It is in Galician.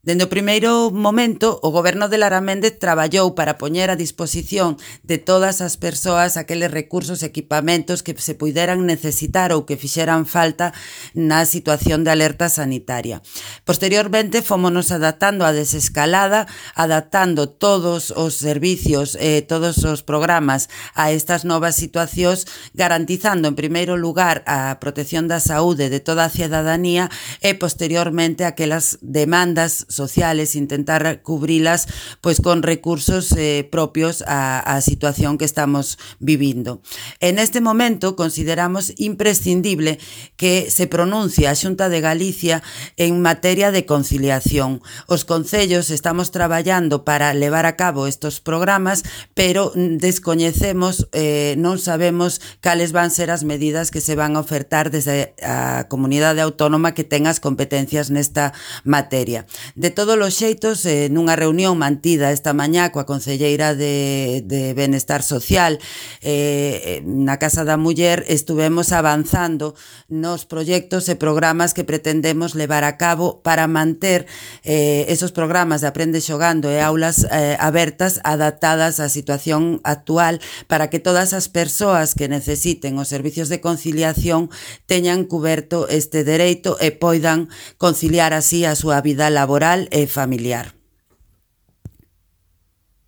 Dende o primeiro momento, o Goberno de Lara Méndez traballou para poñer a disposición de todas as persoas aqueles recursos e equipamentos que se puideran necesitar ou que fixeran falta na situación de alerta sanitaria. Posteriormente, fómonos adaptando a desescalada, adaptando todos os servicios e todos os programas a estas novas situacións, garantizando en primeiro lugar a protección da saúde de toda a cidadanía e posteriormente aquelas demandas sociales, intentar cubrilas pois con recursos propios á situación que estamos vivindo. En este momento consideramos imprescindible que se pronuncie a Xunta de Galicia en materia de conciliación. Os concellos estamos traballando para levar a cabo estos programas, pero descoñecemos, non sabemos cales van ser as medidas que se van a ofertar desde a comunidade autónoma que ten as competencias nesta materia. De todos os xeitos, nunha reunión mantida esta mañá coa concelleira de Benestar Social na Casa da Muller, estuvemos avanzando nos proxectos e programas que pretendemos levar a cabo para manter esos programas de Aprende Xogando e aulas abertas adaptadas á situación actual para que todas as persoas que necesiten os servicios de conciliación teñan cuberto este dereito e poidan conciliar así a súa vida laboral e familiar.